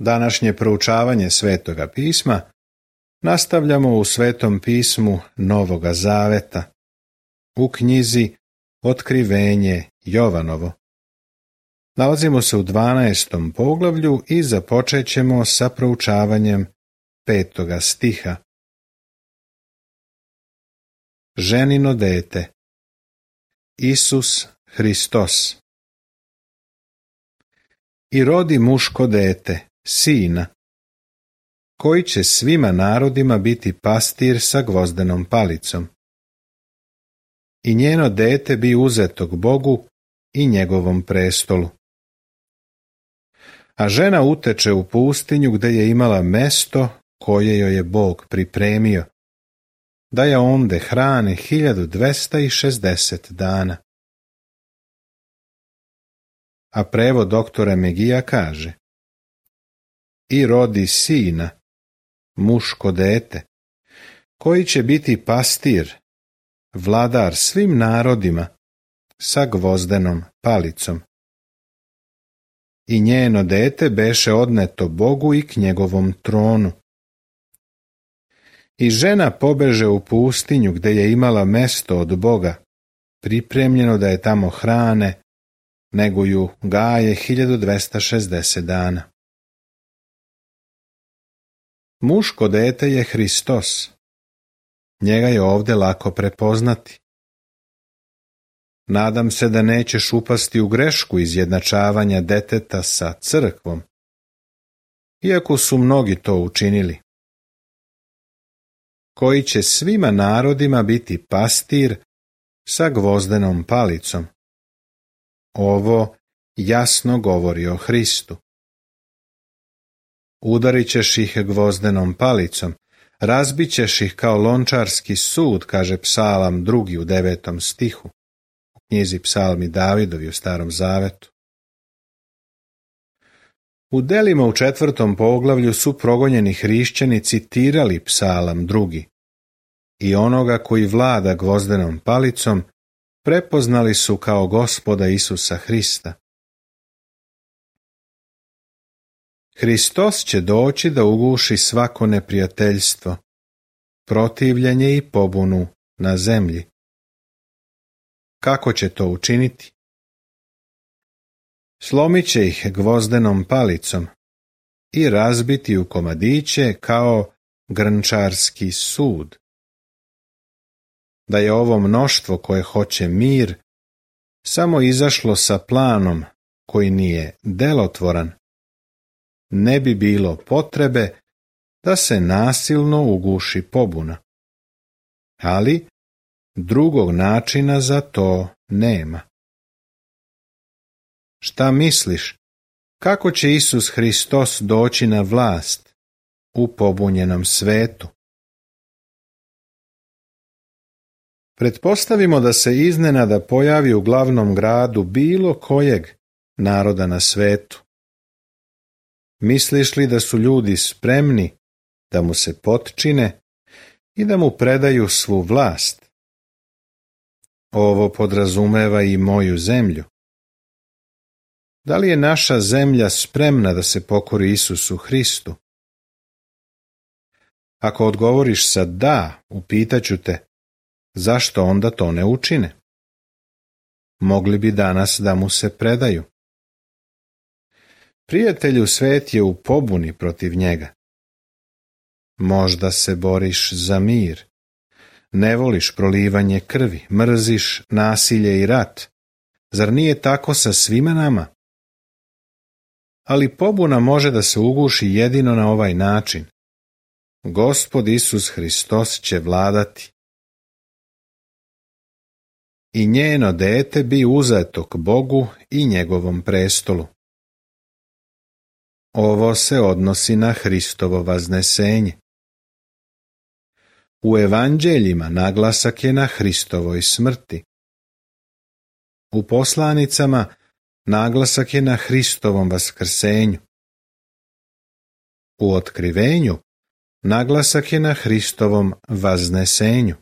Današnje proučavanje Svetoga pisma nastavljamo u Svetom pismu Novoga Zaveta, u knjizi Otkrivenje Jovanovo. Nalazimo se u 12. poglavlju i započet ćemo sa proučavanjem 5. stiha. Ženino dete, Isus Hristos. I rodi muško dete, sina, koji će svima narodima biti pastir sa gvozdenom palicom. I njeno dete bi uzetog Bogu i njegovom prestolu. A žena uteče u pustinju gdje je imala mesto koje joj je Bog pripremio, da je onde hrane 1260 dana. A prevod doktora Megija kaže: I rodi sina, muško dete, koji će biti pastir, vladar svim narodima, sa gvozdenom palicom. I njeno dete beše odneto Bogu i k njegovom tronu. I žena pobeže u pustinju gdje je imala mesto od Boga, pripremljeno da je tamo hrane, nego ju gaje 1260 dana. Muško dete je Hristos. Njega je ovdje lako prepoznati. Nadam se da nećeš upasti u grešku izjednačavanja deteta sa crkvom, iako su mnogi to učinili. Koji će svima narodima biti pastir sa gvozdenom palicom. Ovo jasno govori o Hristu. Udarit ćeš ih gvozdenom palicom, razbit ćeš ih kao lončarski sud, kaže Psalam 2. u 9. stihu, u knjizi Psalmi Davidovi u Starom Zavetu. U delima u 4. poglavlju su progonjeni hrišćani citirali Psalam 2. i onoga koji vlada gvozdenom palicom prepoznali su kao Gospoda Isusa Hrista. Hristos će doći da uguši svako neprijateljstvo, protivljenje i pobunu na zemlji. Kako će to učiniti? Slomit će ih gvozdenom palicom i razbiti u komadiće kao grnčarski sud. Da je ovo mnoštvo koje hoće mir samo izašlo sa planom koji nije delotvoran, ne bi bilo potrebe da se nasilno uguši pobuna. Ali drugog načina za to nema. Šta misliš, kako će Isus Hristos doći na vlast u pobunjenom svetu? Pretpostavimo da se iznenada pojavi u glavnom gradu bilo kojeg naroda na svetu. Misliš li da su ljudi spremni da mu se potčine i da mu predaju svu vlast? Ovo podrazumeva i moju zemlju. Da li je naša zemlja spremna da se pokori Isusu Hristu? Ako odgovoriš sa da, upitaću te, zašto onda to ne učine? Mogli bi danas da mu se predaju. Prijatelju, svet je u pobuni protiv njega. Možda se boriš za mir. Ne voliš prolivanje krvi, mrziš nasilje i rat. Zar nije tako sa svima nama? Ali pobuna može da se uguši jedino na ovaj način. Gospod Isus Hristos će vladati. I njeno dete bi uzeto k Bogu i njegovom prestolu. Ovo se odnosi na Hristovo vaznesenje. U evanđeljima naglasak je na Hristovoj smrti. U poslanicama naglasak je na Hristovom vaskrsenju. U otkrivenju naglasak je na Hristovom vaznesenju.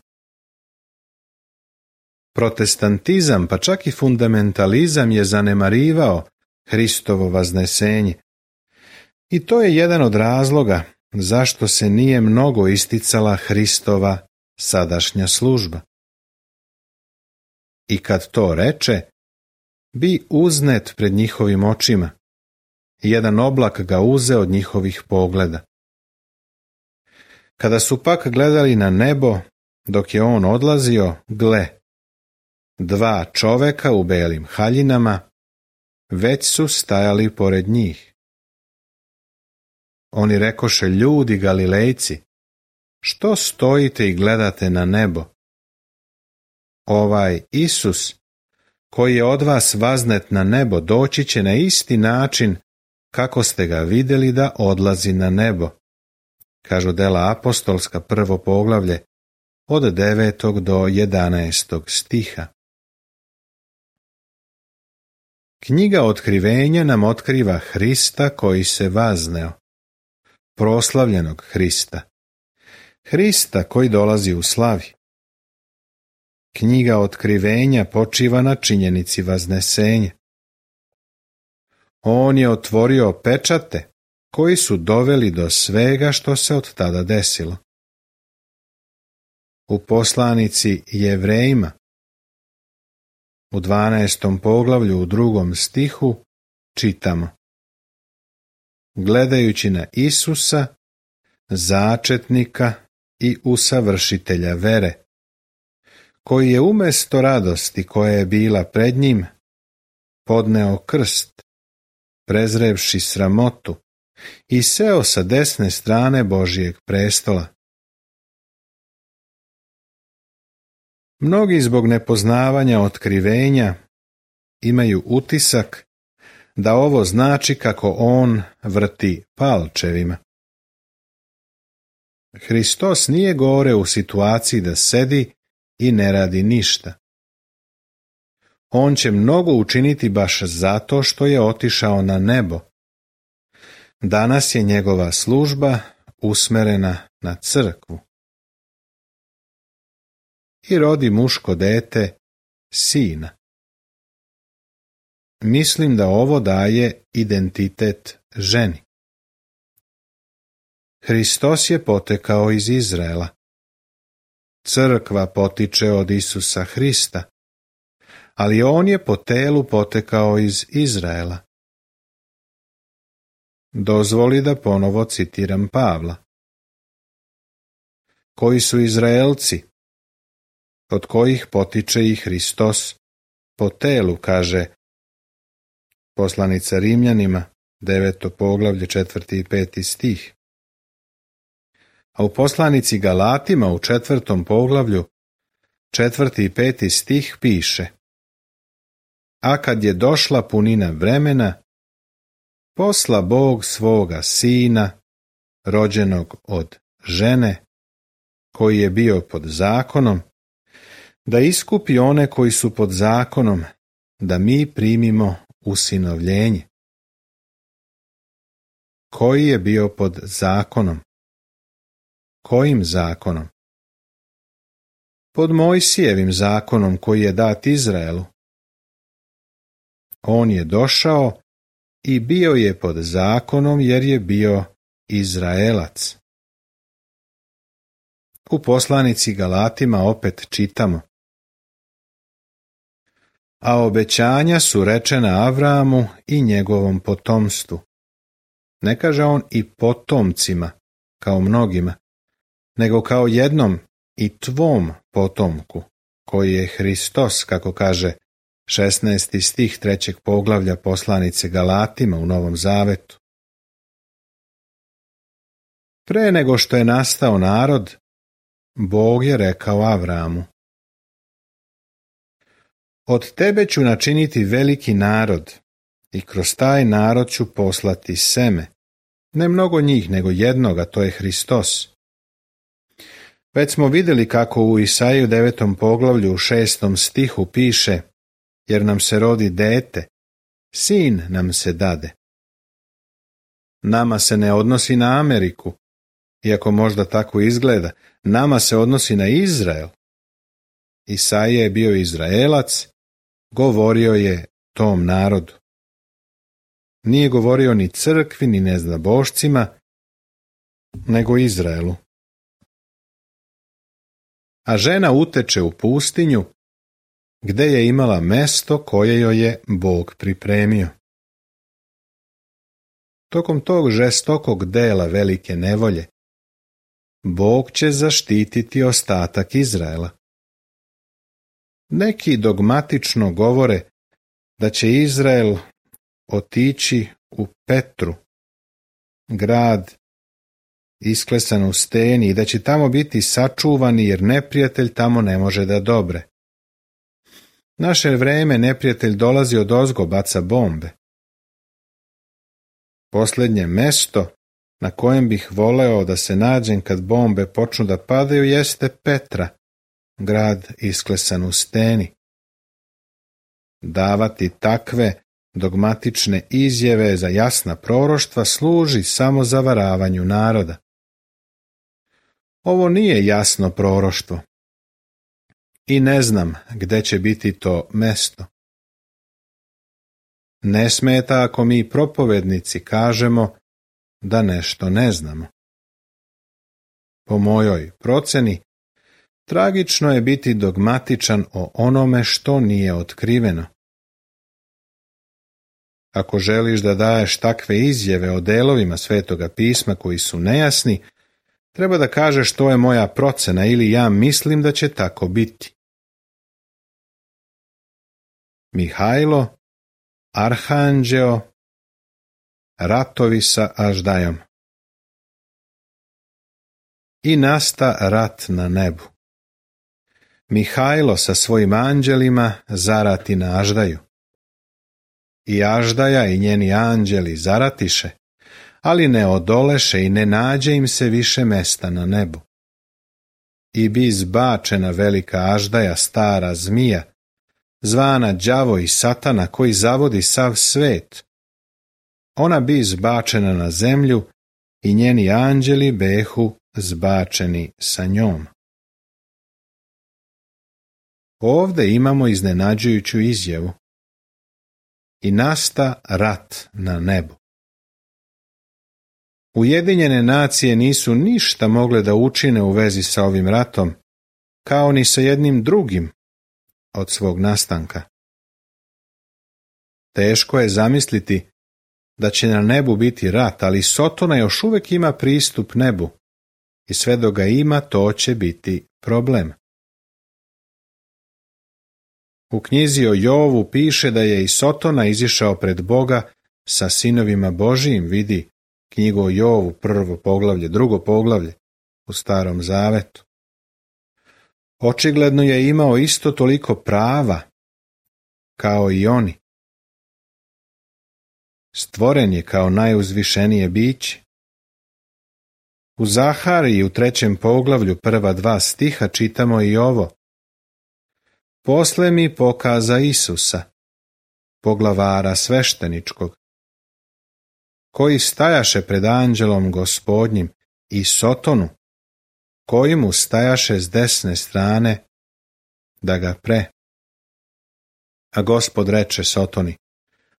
Protestantizam, pa čak i fundamentalizam je zanemarivao Hristovo vaznesenje. I to je jedan od razloga zašto se nije mnogo isticala Hristova sadašnja služba. I kad to reče, bi uznet pred njihovim očima, jedan oblak ga uze od njihovih pogleda. Kada su pak gledali na nebo, dok je on odlazio, gle, dva čoveka u belim haljinama već su stajali pored njih. Oni rekoše: ljudi Galilejci, što stojite i gledate na nebo? Ovaj Isus, koji je od vas vaznet na nebo, doći će na isti način kako ste ga vidjeli da odlazi na nebo. Kažu Dela apostolska, 1. poglavlje, od 9. do 11. stiha. Knjiga Otkrivenja nam otkriva Hrista koji se vazneo, proslavljenog Hrista, Hrista koji dolazi u slavi. Knjiga Otkrivenja počiva na činjenici vaznesenja. On je otvorio pečate koji su doveli do svega što se od tada desilo. U poslanici Jevrejima, u 12. poglavlju u 2. stihu čitamo: gledajući na Isusa, začetnika i usavršitelja vere, koji je umjesto radosti koja je bila pred njim, podneo krst, prezrevši sramotu, i seo sa desne strane Božijeg prestola. Mnogi zbog nepoznavanja otkrivenja imaju utisak da ovo znači kako on vrti palčevima. Hristos nije gore u situaciji da sedi i ne radi ništa. On će mnogo učiniti baš zato što je otišao na nebo. Danas je njegova služba usmerena na crkvu. I rodi muško dete, sina. Mislim da ovo daje identitet ženi. Hristos je potekao iz Izraela. Crkva potiče od Isusa Hrista, ali on je po telu potekao iz Izraela. Dozvoli da ponovo citiram Pavla. Koji su Izraelci, od kojih potiče i Hristos po telu, kaže poslanica Rimljanima, 9. poglavlje, 4. i 5. stih. A u poslanici Galatima u 4. poglavlju, 4. i 5. stih piše: a kad je došla punina vremena, posla Bog svoga sina, rođenog od žene, koji je bio pod zakonom, da iskupi one koji su pod zakonom, da mi primimo usinovljenje. Koji je bio pod zakonom? Kojim zakonom? Pod Mojsijevim zakonom koji je dat Izraelu. On je došao i bio je pod zakonom jer je bio Izraelac. U poslanici Galatima opet čitamo: a obećanja su rečena Avramu i njegovom potomstvu. Ne kaže on i potomcima, kao mnogima, nego kao jednom i tvom potomku, koji je Hristos, kako kaže 16. stih 3. poglavlja poslanice Galatima u Novom Zavetu. Pre nego što je nastao narod, Bog je rekao Avramu: od tebe ću načiniti veliki narod i kroz taj narod ću poslati seme, ne mnogo njih, nego jednoga, to je Hristos. Već smo vidjeli kako u Isaiju 9. poglavlju u 6. stihu piše: jer nam se rodi dete, sin nam se dade. Nama se ne odnosi na Ameriku, iako možda tako izgleda, nama se odnosi na Izrael. Isaija je bio Izraelac, govorio je tom narodu. Nije govorio ni crkvi, ni neznabošcima, nego Izraelu. A žena uteče u pustinju, gde je imala mesto koje joj je Bog pripremio. Tokom tog žestokog dela velike nevolje, Bog će zaštititi ostatak Izraela. Neki dogmatično govore da će Izrael otići u Petru, grad isklesan u steni, i da će tamo biti sačuvani jer neprijatelj tamo ne može da dobre. Naše vreme neprijatelj dolazi odozgo, baca bombe. Posljednje mesto na kojem bih voleo da se nađem kad bombe počnu da padaju jeste Petra, grad isklesan u steni. Davati takve dogmatične izjave za jasna proroštva služi samo zavaravanju naroda. Ovo nije jasno proroštvo i ne znam gde će biti to mesto. Ne smeta ako mi propovednici kažemo da nešto ne znamo. Po mojoj proceni, tragično je biti dogmatičan o onome što nije otkriveno. Ako želiš da daješ takve izjave o delovima Svetoga pisma koji su nejasni, treba da kažeš to je moja procena ili ja mislim da će tako biti. Mihajlo, Arhanđeo, ratovi sa Aždajom. I nasta rat na nebu. Mihajlo sa svojim anđelima zarati na Aždaju. I Aždaja i njeni anđeli zaratiše, ali ne odoleše i ne nađe im se više mesta na nebu. I bi izbačena velika Aždaja, stara zmija, zvana đavo i satana, koji zavodi sav svet. Ona bi izbačena na zemlju i njeni anđeli behu zbačeni sa njom. Ovde imamo iznenađujuću izjavu. I nasta rat na nebu. Ujedinjene nacije nisu ništa mogle da učine u vezi sa ovim ratom, kao ni sa jednim drugim od svog nastanka. Teško je zamisliti da će na nebu biti rat, ali Sotona još uvek ima pristup nebu i sve dok ga ima, to će biti problem. U knjizi o Jovu piše da je i Sotona izišao pred Boga sa sinovima Božijim, vidi knjigu o Jovu, 1. poglavlje, 2. poglavlje u Starom Zavetu. Očigledno je imao isto toliko prava kao i oni. Stvoren je kao najuzvišenije biće. U Zahariji u 3. poglavlju, prva 2 stiha čitamo i ovo. Posle mi pokaza Isusa, poglavara svešteničkog, koji stajaše pred anđelom Gospodnjim, i Sotonu, koji mu stajaše s desne strane, da ga pre. A Gospod reče Sotoni,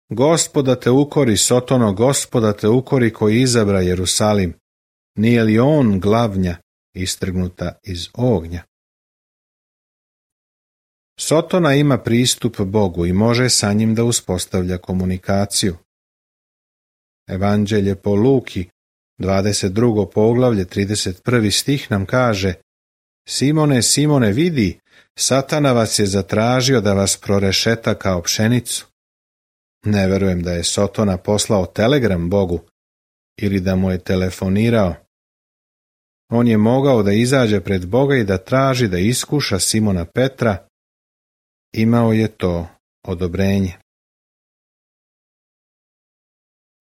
Gospoda te ukori, Sotono, Gospoda te ukori koji izabra Jerusalim, nije li on glavnja istrgnuta iz ognja? Sotona ima pristup Bogu i može sa njim da uspostavlja komunikaciju. Evanđelje po Luki, 22. poglavlje, 31. stih nam kaže: Simone, Simone, vidi, Satana vas je zatražio da vas prorešeta kao pšenicu. Ne verujem da je Sotona poslao telegram Bogu ili da mu je telefonirao. On je mogao da izađe pred Boga i da traži da iskuša Simona Petra. Imao je to odobrenje.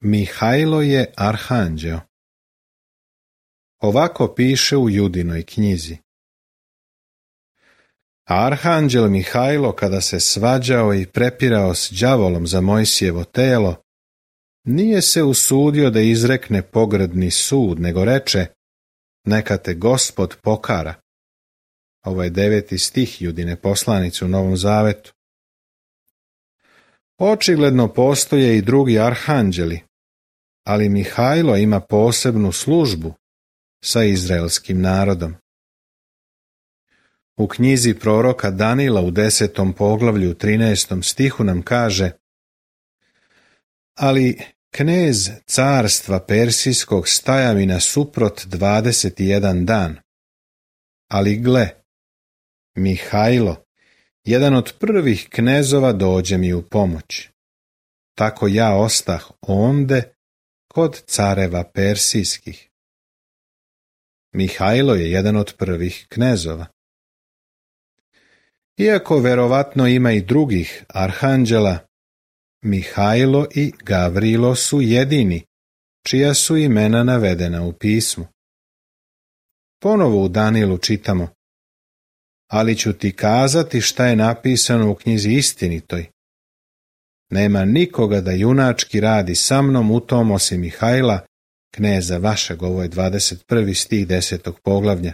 Mihajlo je arhanđeo. Ovako piše u Judinoj knjizi. Arhanđel Mihajlo, kada se svađao i prepirao s đavolom za Mojsijevo telo, nije se usudio da izrekne pogrdni sud, nego reče: Neka te Gospod pokara. Ovo je 9. stih Judine poslanice u Novom Zavetu. Očigledno postoje i drugi arhanđeli, ali Mihajlo ima posebnu službu sa izraelskim narodom. U knjizi proroka Danila u 10. poglavlju 13. stihu nam kaže: ali knez carstva persijskog staja mi nasuprot 21 dan. Ali gle, Mihajlo, jedan od prvih knezova, dođe mi u pomoć. Tako ja ostah onde kod careva persijskih. Mihajlo je jedan od prvih knezova. Iako verovatno ima i drugih arhanđela, Mihajlo i Gavrilo su jedini čija su imena navedena u pismu. Ponovo u Danilu čitamo: ali ću ti kazati šta je napisano u knjizi istinitoj. Nema nikoga da junački radi sa mnom u tom osim Mihajla, kneza vašeg. Ovo je 21. stih 10. poglavlja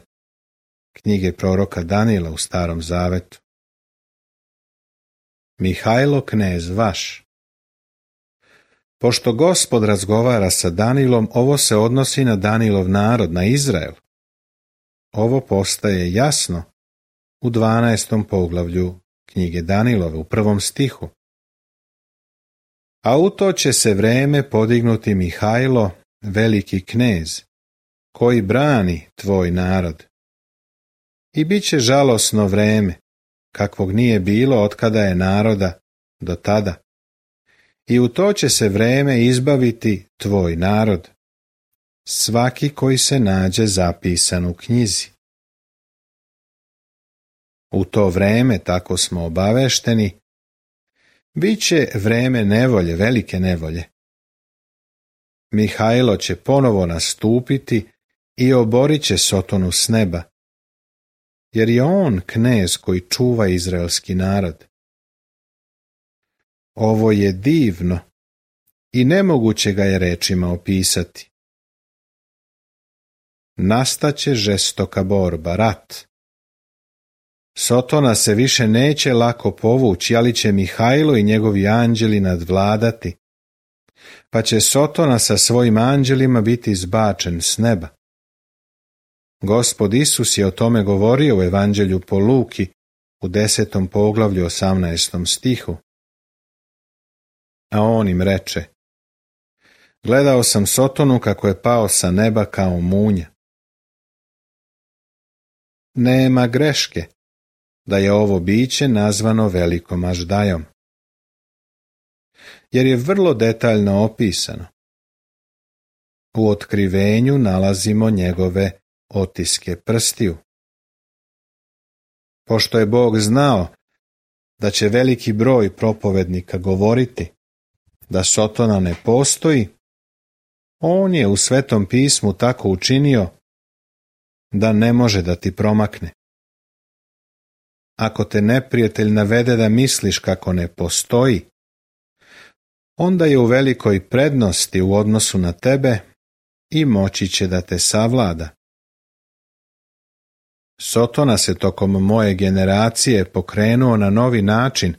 knjige proroka Danila u Starom zavetu. Mihajlo, knez vaš. Pošto Gospod razgovara sa Danilom, ovo se odnosi na Danilov narod, na Izrael. Ovo postaje jasno u 12. poglavlju knjige Danilove, u 1. stihu. A u to će se vreme podignuti Mihajlo, veliki knez, koji brani tvoj narod. I bit će žalosno vreme, kakvog nije bilo otkada je naroda do tada. I u to će se vreme izbaviti tvoj narod, svaki koji se nađe zapisan u knjizi. U to vreme, tako smo obavešteni, bit će vreme nevolje, velike nevolje. Mihajlo će ponovo nastupiti i oborit će Sotonu s neba, jer je on knez koji čuva izraelski narod. Ovo je divno i nemoguće ga je rečima opisati. Nastaće žestoka borba, rat. Sotona se više neće lako povući, ali će Mihajlo i njegovi anđeli nadvladati, pa će Sotona sa svojim anđelima biti zbačen s neba. Gospod Isus je o tome govorio u Evanđelju po Luki u 10. poglavlju 18. stihu. A on im reče: gledao sam Sotonu kako je pao sa neba kao munja. Nema greške da je ovo biće nazvano velikom Aždajom, jer je vrlo detaljno opisano. U otkrivenju nalazimo njegove otiske prstiju. Pošto je Bog znao da će veliki broj propovednika govoriti da Sotona ne postoji, on je u Svetom pismu tako učinio da ne može da ti promakne. Ako te neprijatelj navede da misliš kako ne postoji, onda je u velikoj prednosti u odnosu na tebe i moći će da te savlada. Sotona se tokom moje generacije pokrenuo na novi način,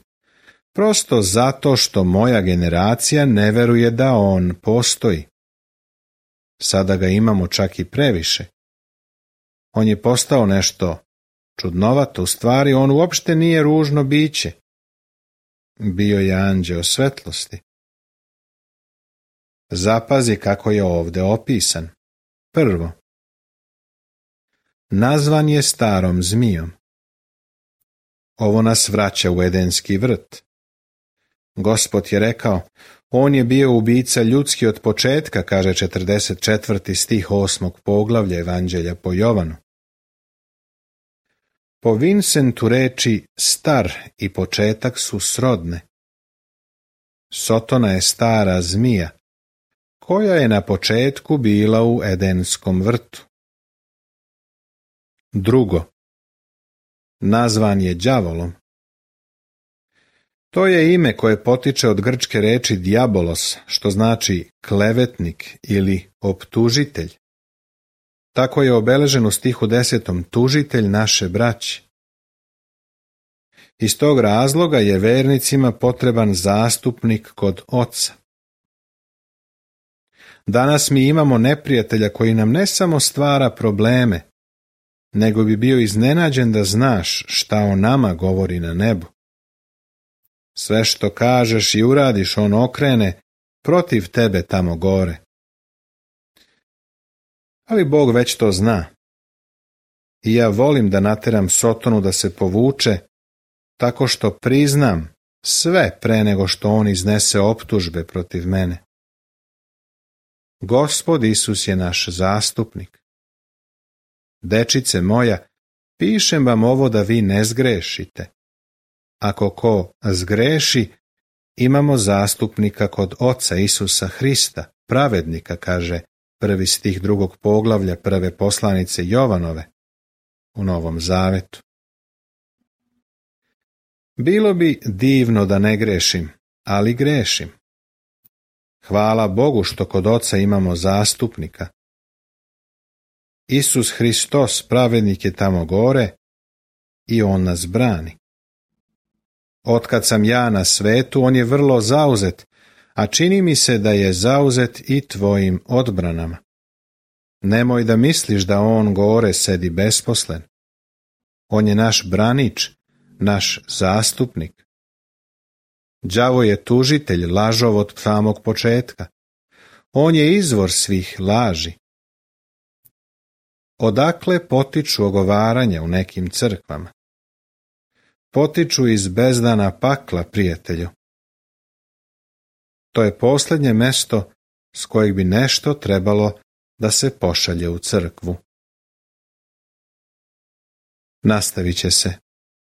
prosto zato što moja generacija ne veruje da on postoji. Sada ga imamo čak i previše. On je postao nešto čudnovato, u stvari on uopšte nije ružno biće. Bio je anđeo svetlosti. Zapazi kako je ovde opisan. Prvo, nazvan je starom zmijom. Ovo nas vraća u Edenski vrt. Gospod je rekao: on je bio ubica ljudski od početka, kaže 44. stih 8. poglavlja Evanđelja po Jovanu. Po Vincentu reči star i početak su srodne. Sotona je stara zmija, koja je na početku bila u Edenskom vrtu. Drugo, nazvan je đavolom. To je ime koje potiče od grčke reči diabolos, što znači klevetnik ili optužitelj. Tako je obeležen u stihu 10. tužitelj naše braće. Iz tog razloga je vernicima potreban zastupnik kod Oca. Danas mi imamo neprijatelja koji nam ne samo stvara probleme, nego bi bio iznenađen da znaš šta o nama govori na nebu. Sve što kažeš i uradiš on okrene protiv tebe tamo gore. Ali Bog već to zna. I ja volim da nateram Sotonu da se povuče, tako što priznam sve pre nego što on iznese optužbe protiv mene. Gospod Isus je naš zastupnik. Dečice moja, pišem vam ovo da vi ne zgrešite. Ako ko zgreši, imamo zastupnika kod Oca Isusa Hrista, pravednika, kaže 1. stih 2. poglavlja 1. poslanice Jovanove u Novom Zavetu. Bilo bi divno da ne grešim, ali grešim. Hvala Bogu što kod Oca imamo zastupnika. Isus Hristos, pravednik, je tamo gore i on nas brani. Otkad sam ja na svetu, on je vrlo zauzet, a čini mi se da je zauzet i tvojim odbranama. Nemoj da misliš da on gore sedi besposlen. On je naš branič, naš zastupnik. Đavo je tužitelj, lažov od samog početka. On je izvor svih laži. Odakle potiču ogovaranja u nekim crkvama? Potiču iz bezdana pakla, prijatelju. To je posljednje mesto s kojeg bi nešto trebalo da se pošalje u crkvu. Nastavit će se